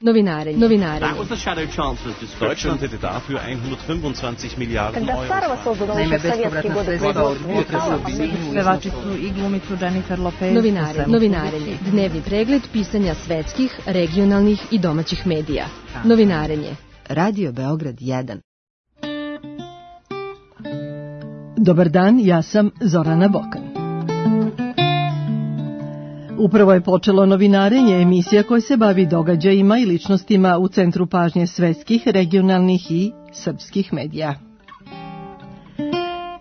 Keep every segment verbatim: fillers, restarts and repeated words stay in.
Novinarenje. Novinarenje. Deutschland hätte dafür hundertfünfundzwanzig Milliarden Euro. Naime, bespovratna sredstva od potresa u svibnju. Pevačicu i glumicu Jennifer Lopez. Novinarenje. Novinarenje. Dnevni pregled pisanja svetskih, regionalnih i domaćih medija. Novinarenje. Radio Beograd jedan. Dobar dan, ja sam Zorana Bokan. Upravo je počelo novinarenje, emisija koja se bavi događajima i ličnostima u centru pažnje svetskih, regionalnih i srpskih medija.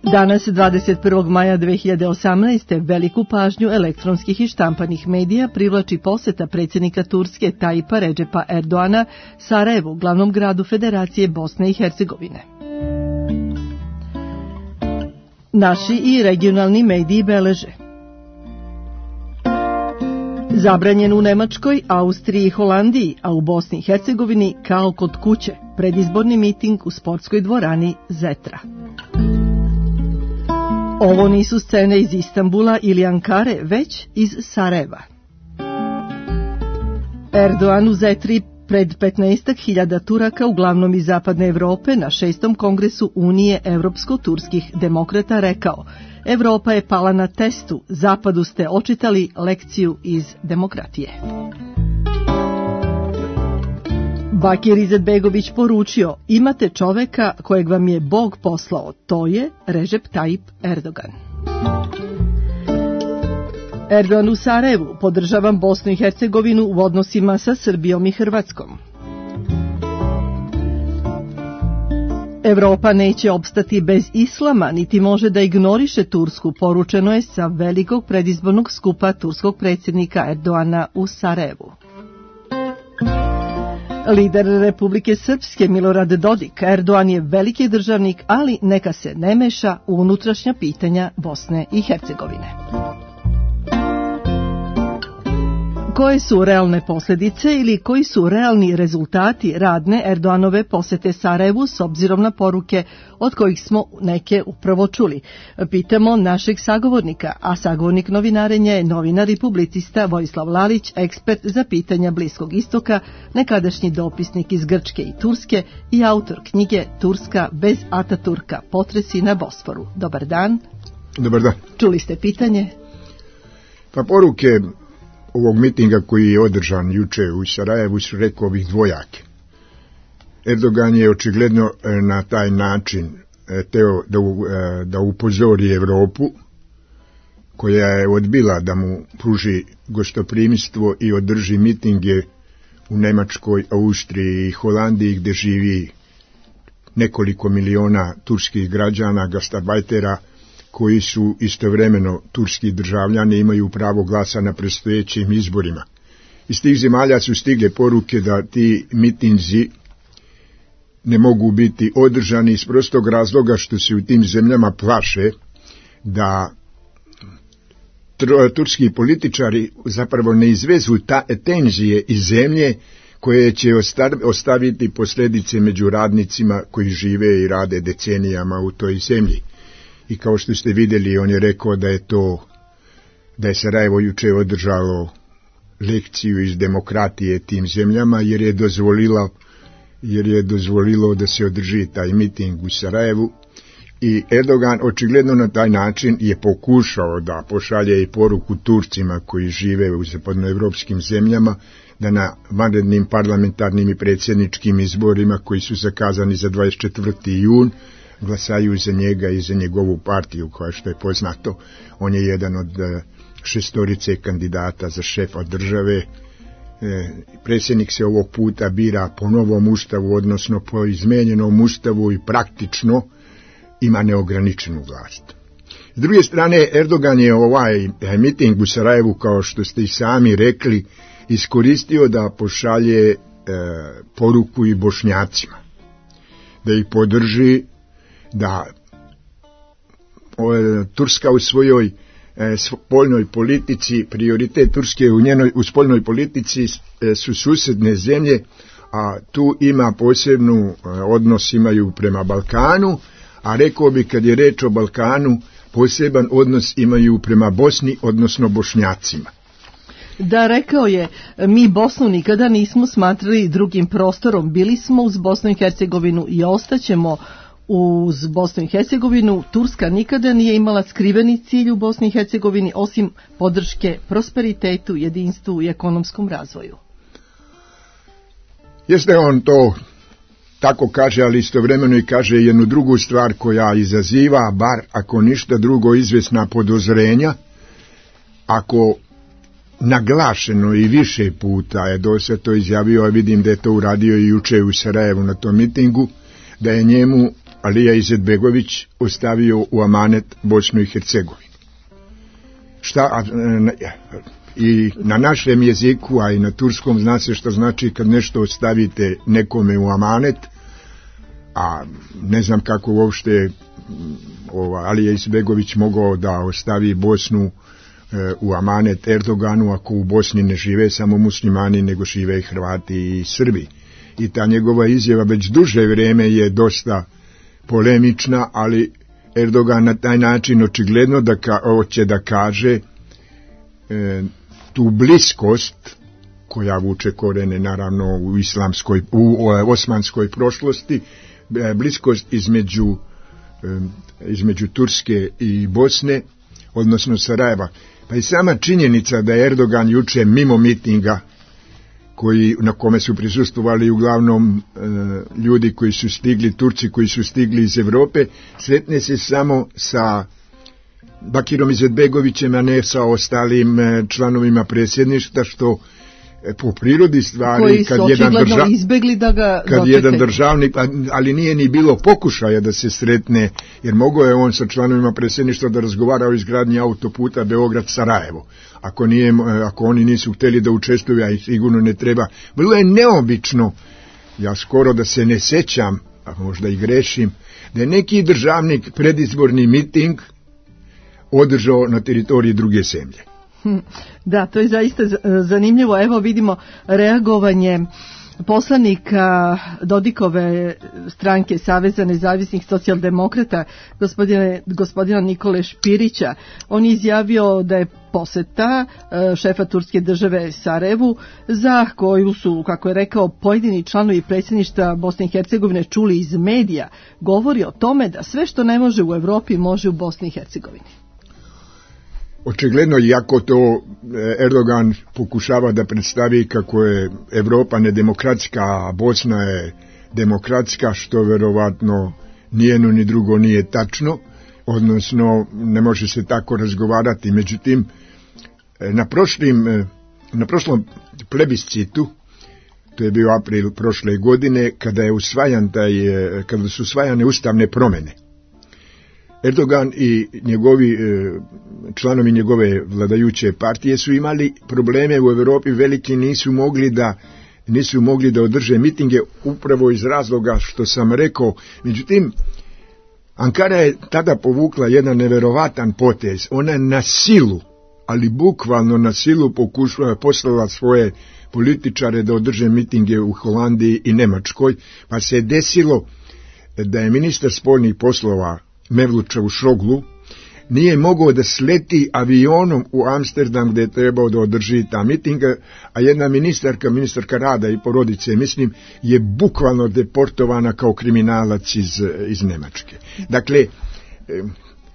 Danas, dvadeset prvog maja dve hiljade osamnaeste. veliku pažnju elektronskih i štampanih medija privlači poseta predsjednika Turske Tajipa Redžepa Erdoana Sarajevu, glavnom gradu Federacije Bosne i Hercegovine. Naši i regionalni mediji beleže: zabranjen u Nemačkoj, Austriji i Holandiji, a u Bosni i Hercegovini kao kod kuće, predizborni miting u sportskoj dvorani Zetra. Ovo nisu scene iz Istanbula ili Ankare, već iz Sarajeva. Erdogan u Zetri pred petnaestak hiljada Turaka, uglavnom iz zapadne Evrope, na šestom kongresu Unije evropsko-turskih demokrata rekao: Evropa je pala na testu, zapadu ste očitali lekciju iz demokratije. Bakir Izetbegović poručio: imate čoveka kojeg vam je Bog poslao, to je Recep Tayyip Erdogan. Erdogan u Sarajevu: podržavam Bosnu i Hercegovinu u odnosima sa Srbijom i Hrvatskom. Evropa neće opstati bez islama, niti može da ignoriše Tursku, poručeno je sa velikog predizbornog skupa turskog predsjednika Erdoana u Sarajevu. Lider Republike Srpske Milorad Dodik: Erdogan je veliki državnik, ali neka se ne meša u unutrašnja pitanja Bosne i Hercegovine. Koje su realne posljedice ili koji su realni rezultati radne Erdoganove posete Sarajevu s obzirom na poruke od kojih smo neke upravo čuli? Pitamo našeg sagovornika, a sagovornik novinarenja je novinar i publicista Vojislav Lalić, ekspert za pitanja Bliskog istoka, nekadašnji dopisnik iz Grčke i Turske i autor knjige Turska bez Ataturka, potresi na Bosforu. Dobar dan. Dobar dan. Čuli ste pitanje? Pa poruke ovog mitinga koji je održan juče u Sarajevu su, rekao bih, dvojake. Erdogan je očigledno na taj način teo da, da upozori Evropu, koja je odbila da mu pruži gostoprimstvo i održi mitinge u Nemačkoj, Austriji i Holandiji, gdje živi nekoliko miliona turskih građana, gastarbajtera, koji su istovremeno turski državljani, imaju pravo glasa na predstojećim izborima. Iz tih zemalja su stigle poruke da ti mitinzi ne mogu biti održani iz prostog razloga što se u tim zemljama plaše da turski političari zapravo ne izvezu ta tenzije iz zemlje koje će ostaviti posljedice među radnicima koji žive i rade decenijama u toj zemlji. I kao što ste vidjeli, on je rekao da je to, da je Sarajevo juče održalo lekciju iz demokratije tim zemljama, jer je dozvolilo, jer je dozvolilo da se održi taj miting u Sarajevu. I Erdogan očigledno na taj način je pokušao da pošalje i poruku Turcima koji žive u zapadnoevropskim zemljama, da na vanrednim parlamentarnim i predsjedničkim izborima koji su zakazani za dvadeset četvrti jun glasaju za njega i za njegovu partiju, koja, što je poznato, on je jedan od šestorice kandidata za šefa države. E, predsjednik se ovog puta bira po novom ustavu, odnosno po izmenjenom ustavu, i praktično ima neograničenu vlast. S druge strane, Erdogan je ovaj miting u Sarajevu, kao što ste i sami rekli, iskoristio da pošalje e, poruku i Bošnjacima, da ih podrži, da o, Turska u svojoj e, spoljnoj politici, prioritet Turske u njenoj u spoljnoj politici e, su susjedne zemlje, a tu ima posebnu e, odnos imaju prema Balkanu, a rekao bi, kad je reč o Balkanu, poseban odnos imaju prema Bosni, odnosno Bošnjacima. Da, rekao je, mi Bosnu nikada nismo smatrali drugim prostorom, bili smo uz Bosnu i Hercegovinu i ostaćemo uz Bosnu i Hercegovinu. Turska nikada nije imala skriveni cilj u Bosni i Hercegovini osim podrške prosperitetu, jedinstvu i ekonomskom razvoju. Jeste, on to tako kaže, ali istovremeno i kaže jednu drugu stvar koja izaziva, bar ako ništa drugo, izvjesna podozrenja. Ako naglašeno i više puta je do sad to izjavio, a vidim da je to uradio i juče u Sarajevu na tom mitingu, da je njemu Alija Izetbegović ostavio u amanet Bosnu i Hercegovinu. Šta, i na našem jeziku, a i na turskom zna se što znači kad nešto ostavite nekome u amanet, a ne znam kako uopšte ova, Alija Izetbegović mogao da ostavi Bosnu e, u amanet Erdoganu, ako u Bosni ne žive samo muslimani, nego žive i Hrvati i Srbi. I ta njegova izjava već duže vrijeme je dosta polemična, ali Erdogan na taj način očigledno da ka, hoće da kaže e, tu bliskost koja vuče korene naravno u islamskoj, u osmanskoj prošlosti, e, bliskost između, e, između Turske i Bosne, odnosno Sarajeva. Pa i sama činjenica da je Erdogan juče mimo mitinga koji, na kome su prisustvovali uglavnom e, ljudi koji su stigli, Turci koji su stigli iz Europe, sretne se samo sa Bakirom Izetbegovićem, a ne sa ostalim e, članovima predsjedništva, što e, po prirodi stvari koji kad su jedan, drža, izbegli da ga kad dočekaju. jedan državnik, ali nije ni bilo pokušaja da se sretne, jer mogao je on sa članovima predsjedništva da razgovara o izgradnji autoputa Beograd-Sarajevo. Ako, nije, ako oni nisu htjeli da učestvuju, a i sigurno ne treba. Bilo je neobično, ja skoro da se ne sećam, a možda i grešim, da je neki državnik predizborni miting održao na teritoriji druge zemlje. Da, to je zaista zanimljivo. Evo vidimo reagovanje poslanika Dodikove stranke Saveza nezavisnih socijaldemokrata, gospodine, gospodina Nikole Špirića. On je izjavio da je poseta šefa turske države Sarajevu, za koju su, kako je rekao, pojedini članovi predsjedništva Bosne i Hercegovine čuli iz medija, govori o tome da sve što ne može u Europi može u Bosni i Hercegovini. Očigledno, iako to Erdogan pokušava da predstavi kako je Evropa nedemokratska, a Bosna je demokratska, što verovatno nijedno ni drugo nije tačno, odnosno ne može se tako razgovarati. Međutim, na, prošlim, na prošlom plebiscitu, to je bio april prošle godine, kada je usvajan taj, kada su usvajane ustavne promjene, Erdogan i njegovi članovi njegove vladajuće partije su imali probleme u Europi veliki, nisu mogli da nisu mogli da održe mitinge upravo iz razloga što sam rekao. Međutim, Ankara je tada povukla jedan neverovatan potez. Ona je na silu, ali bukvalno na silu pokušala, poslala svoje političare da održe mitinge u Holandiji i Njemačkoj, pa se je desilo da je ministar spoljnih poslova Mevlut Čavusoglu nije mogao da sleti avionom u Amsterdam gdje je trebao da održi ta mitinga, a jedna ministarka, ministarka rada i porodice, mislim, je bukvalno deportovana kao kriminalac iz, iz Njemačke. Dakle, e,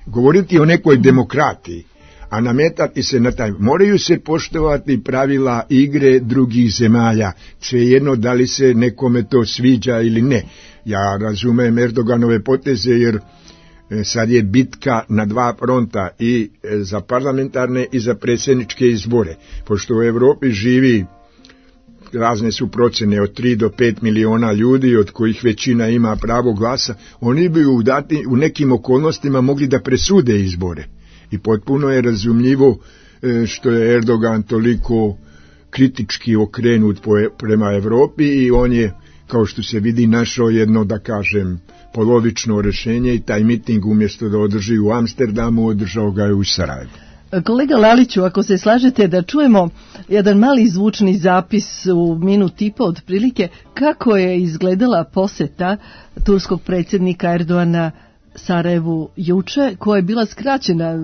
govoriti o nekoj demokratiji, a nametati se na taj, moraju se poštovati pravila igre drugih zemalja, svejedno da li se nekome to sviđa ili ne. Ja razumem Erdoganove poteze, jer sad je bitka na dva fronta, i za parlamentarne i za predsjedničke izbore. Pošto u Europi živi, razne su procjene, od tri do pet miliona ljudi, od kojih većina ima pravo glasa, oni bi u, dati, u nekim okolnostima mogli da presude izbore. I potpuno je razumljivo što je Erdogan toliko kritički okrenut prema Europi, i on je, kao što se vidi, našao jedno, da kažem, polovično rješenje, i taj miting umjesto da održi u Amsterdamu, održao ga je u Sarajevu. Kolega Laliću, ako se slažete da čujemo jedan mali zvučni zapis u minut i po otprilike, kako je izgledala posjeta turskog predsjednika Erdogana Sarajevu juče, koja je bila skraćena,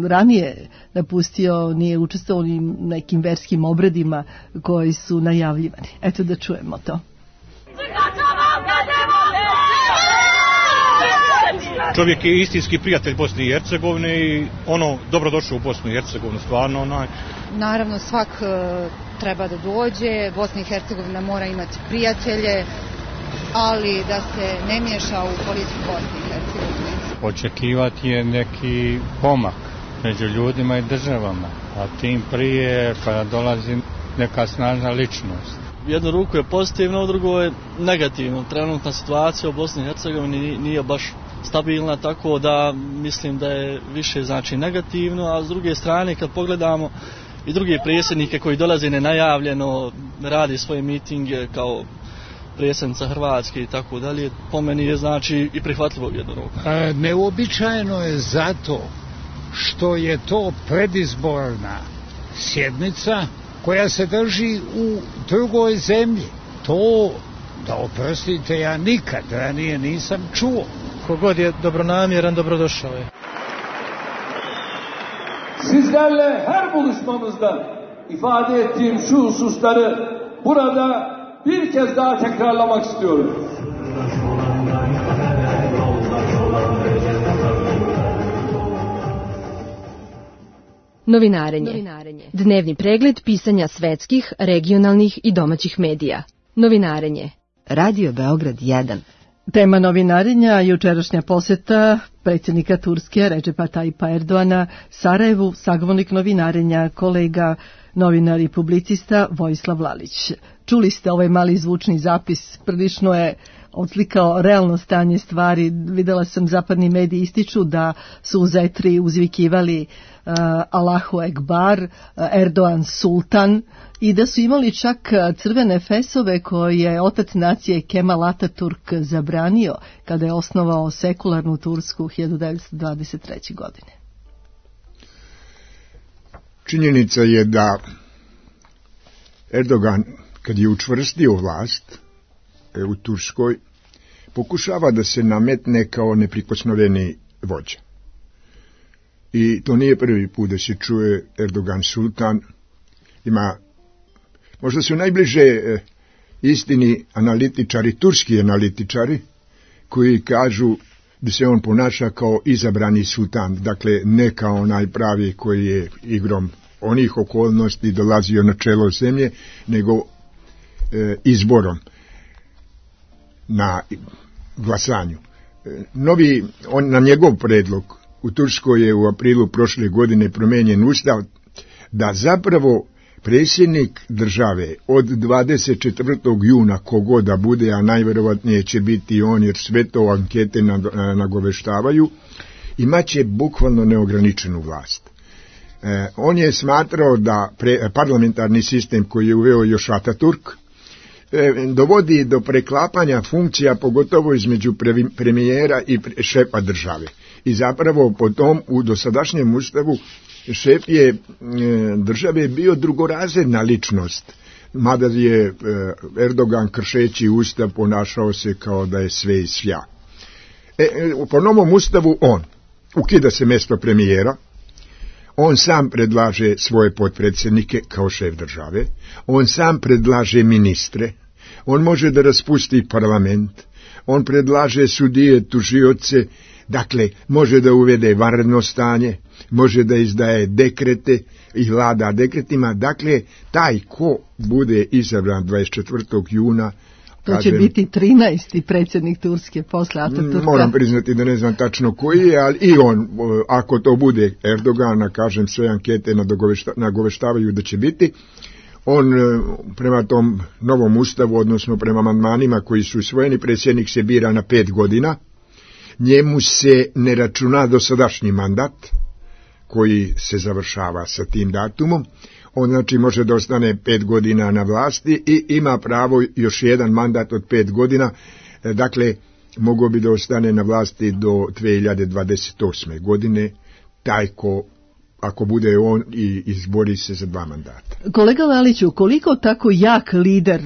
ranije napustio, nije učestvovao u nekim verskim obredima koji su najavljivani. Eto da čujemo to. Čovjek je istinski prijatelj Bosne i Hercegovine i ono, dobrodošao u Bosnu i Hercegovinu, stvarno onaj. Naravno, svak treba da dođe, Bosna i Hercegovina mora imati prijatelje, ali da se ne miješa u politiku Bosne i Hercegovine. Očekivati je neki pomak među ljudima i državama, a tim prije kada dolazi neka snažna ličnost. Jednu ruku je pozitivno, u drugo je negativno. Trenutna situacija u Bosni i Hercegovini nije baš stabilna, tako da mislim da je više znači negativno, a s druge strane kad pogledamo i druge predsjednike koji dolaze nenajavljeno, radi svoje mitinge kao predsjednica Hrvatske i tako dalje, po meni je znači i prihvatljivo jednu ruku. E, neuobičajeno je zato što je to predizborna sjednica koja se drži u drugoj zemlji. To, da oprostite, ja nikad ranije nisam čuo. Kogod je dobronamjeran, dobrodošao je. Sizlerle her buluşmamızda ifade ettiğim şu hususları burada bir kez daha tekrarlamak istiyorum. Novinarenje. Novinarenje. Dnevni pregled pisanja svetskih, regionalnih i domaćih medija. Novinarenje. Radio Beograd jedan. Tema novinarenja, jučerašnja posjeta predsjednika Turske Redžepa Tajipa Erdoana Sarajevu, sagovornik novinarenja, kolega, novinar i publicista Vojislav Lalić. Čuli ste ovaj mali zvučni zapis, prilično je odslikao realno stanje stvari. Videla sam zapadni mediji ističu da su u Zetri uzvikivali uh, Allahu Ekbar, uh, Erdogan Sultan, i da su imali čak crvene fesove koje je otac nacije Kemal Atatürk zabranio kada je osnovao sekularnu Tursku hiljadu devetsto dvadeset treće. godine. Činjenica je da Erdogan, kad je učvrstio vlast u Turskoj, pokušava da se nametne kao neprikosnoveni vođa. I to nije prvi put da se čuje Erdogan Sultan. Ima, možda su najbliže istini analitičari, turski analitičari, koji kažu da se on ponaša kao izabrani sultan, dakle ne kao onaj pravi koji je igrom onih okolnosti dolazio na čelo zemlje, nego e, izborom na glasanju. E, novi, on, na njegov predlog u Turskoj je u aprilu prošle godine promijenjen ustav da zapravo predsjednik države od dvadeset četvrtog juna kogod da bude, a najvjerovatnije će biti on jer sve to ankete nagoveštavaju, imaće bukvalno neograničenu vlast. E, on je smatrao da pre, parlamentarni sistem koji je uveo još Ataturk e, dovodi do preklapanja funkcija, pogotovo između pre, premijera i pre, šefa države. I zapravo po tom u dosadašnjem ustavu šef je e, države bio drugorazredna ličnost, mada je e, Erdogan kršeći ustav ponašao se kao da je sve i svja. E, po novom ustavu on ukida se mjesto premijera, on sam predlaže svoje potpredsjednike kao šef države, on sam predlaže ministre, on može da raspusti parlament, on predlaže sudije, tužioce, dakle može da uvede vanredno stanje, može da izdaje dekrete i vlada dekretima, dakle taj ko bude izabran dvadeset četvrtog juna, to kažem, će biti trinaesti predsjednik Turske posle Ataturka. Moram priznati da ne znam tačno koji je, ali i on, ako to bude Erdogana, kažem, sve ankete nagoveštavaju da će biti, on prema tom novom ustavu, odnosno prema amandmanima koji su usvojeni, predsjednik se bira na pet godina, njemu se ne računa dosadašnji mandat koji se završava sa tim datumom, on znači može da ostane pet godina na vlasti i ima pravo još jedan mandat od pet godina, dakle mogao bi da ostane na vlasti do dvije hiljade dvadeset osme. godine, taj ko, ako bude on, i izbori se za dva mandata. Kolega Laliću, koliko tako jak lider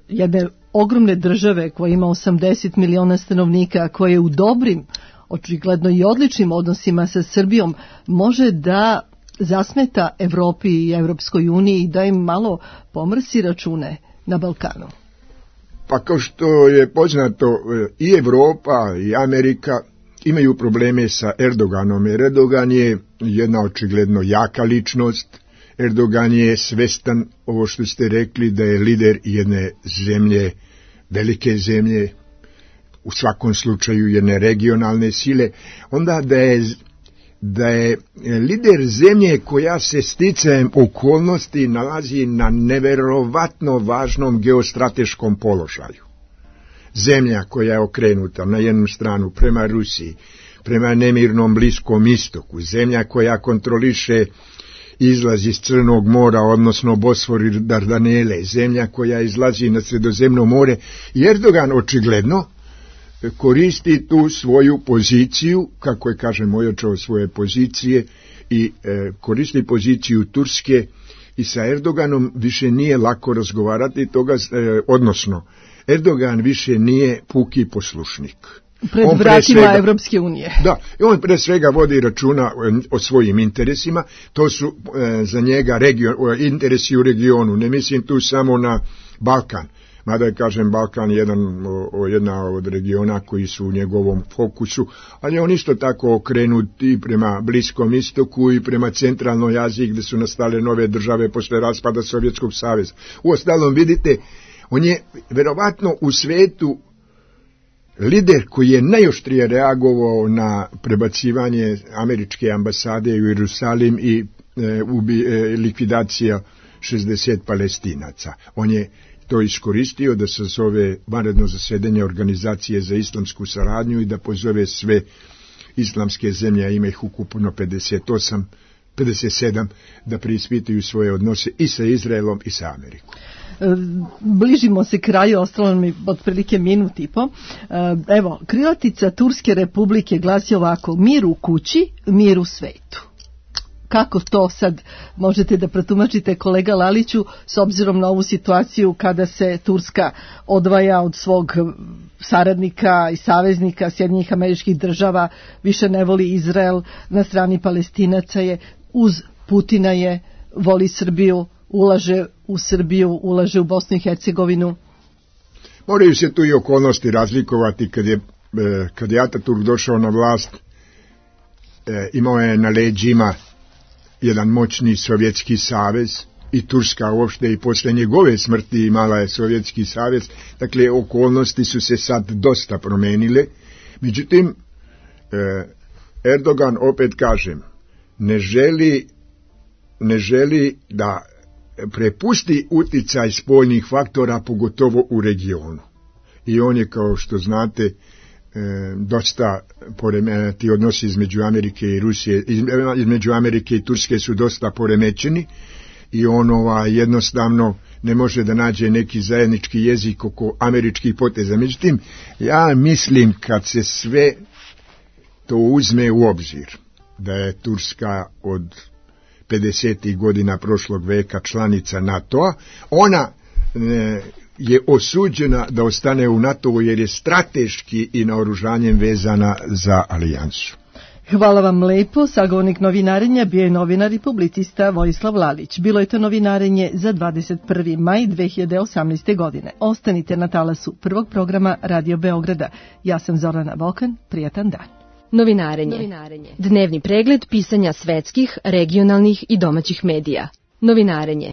jedne ogromne države koja ima osamdeset miliona stanovnika, koja je u dobrim očigledno i odličnim odnosima sa Srbijom može da zasmeta Evropi i Evropskoj uniji i da im malo pomrsi račune na Balkanu? Pa kao što je poznato, i Evropa i Amerika imaju probleme sa Erdoganom. Erdogan je jedna očigledno jaka ličnost. Erdogan je svestan, ovo što ste rekli, da je lider jedne zemlje, velike zemlje, u svakom slučaju jedne regionalne sile, onda da je, da je lider zemlje koja se sticajem okolnosti nalazi na neverovatno važnom geostrateškom položaju. Zemlja koja je okrenuta na jednu stranu prema Rusiji, prema nemirnom Bliskom istoku, zemlja koja kontroliše izlaz iz Crnog mora, odnosno Bosfor i Dardanele, zemlja koja izlazi na Sredozemno more, i Erdogan očigledno koristi tu svoju poziciju, kako je, kažem, ojačao svoje pozicije, i e, koristi poziciju Turske, i sa Erdoganom više nije lako razgovarati toga, e, odnosno Erdogan više nije puki poslušnik. Pred on vratima svega, Evropske unije. Da, i on pre svega vodi računa o svojim interesima, to su e, za njega region, interesi u regionu, ne mislim tu samo na Balkan, mada je, kažem, Balkan jedan, o, jedna od regiona koji su u njegovom fokusu, ali on isto tako okrenut i prema Bliskom istoku i prema centralnoj Aziji, gdje su nastale nove države posle raspada Sovjetskog saveza. Uostalom, vidite, on je verovatno u svetu lider koji je najoštrije reagovao na prebacivanje američke ambasade u Jerusalim i e, ubi, e, likvidacija šezdeset Palestinaca. On je to iskoristio da sazove vanredno zasedanje Organizacije za islamsku saradnju i da pozove sve islamske zemlje, a ima ih ukupno pedeset osam, pedeset sedam, da preispitaju svoje odnose i sa Izraelom i sa Amerikom. Bližimo se kraju, ostalo mi otprilike minut i po. Evo, krilatica Turske republike glasi ovako: mir u kući, mir u svetu. Kako to sad možete da protumačite, kolega Laliću, s obzirom na ovu situaciju kada se Turska odvaja od svog saradnika i saveznika Sjedinjenih Američkih Država, više ne voli Izrael, na strani Palestinaca je, uz Putina je, voli Srbiju, ulaže u Srbiju, ulaže u Bosnu i Hercegovinu? Moraju se tu i okolnosti razlikovati. Kad je, kad je Ataturk došao na vlast, imao je na leđima jedan moćni Sovjetski savez, i Turska uopšte i posle njegove smrti imala je Sovjetski savez, dakle okolnosti su se sad dosta promenile. Međutim, Erdogan, opet kažem, ne želi, ne želi da prepusti uticaj spoljnih faktora, pogotovo u regionu. I on je, kao što znate, dosta ti odnosi između Amerike i Rusije, između Amerike i Turske su dosta poremećeni, i on ova, jednostavno ne može da nađe neki zajednički jezik oko američkih poteza. Međutim, ja mislim, kad se sve to uzme u obzir, da je Turska od pedesetih godina prošlog veka članica NATO-a, ona e, je osuđena da ostane u NATO-u, jer je strateški i naoružanjem vezana za alijansu. Hvala vam lepo. Sagovornik novinarenja bio je novinar i publicista Vojislav Lalić. Bilo je to novinarenje za dvadeset prvi maj dve hiljade osamnaeste. godine. Ostanite na talasu prvog programa Radio Beograda. Ja sam Zorana Vokan. Prijatan dan. Novinarenje. Novinarenje. Dnevni pregled pisanja svetskih, regionalnih i domaćih medija. Novinarenje.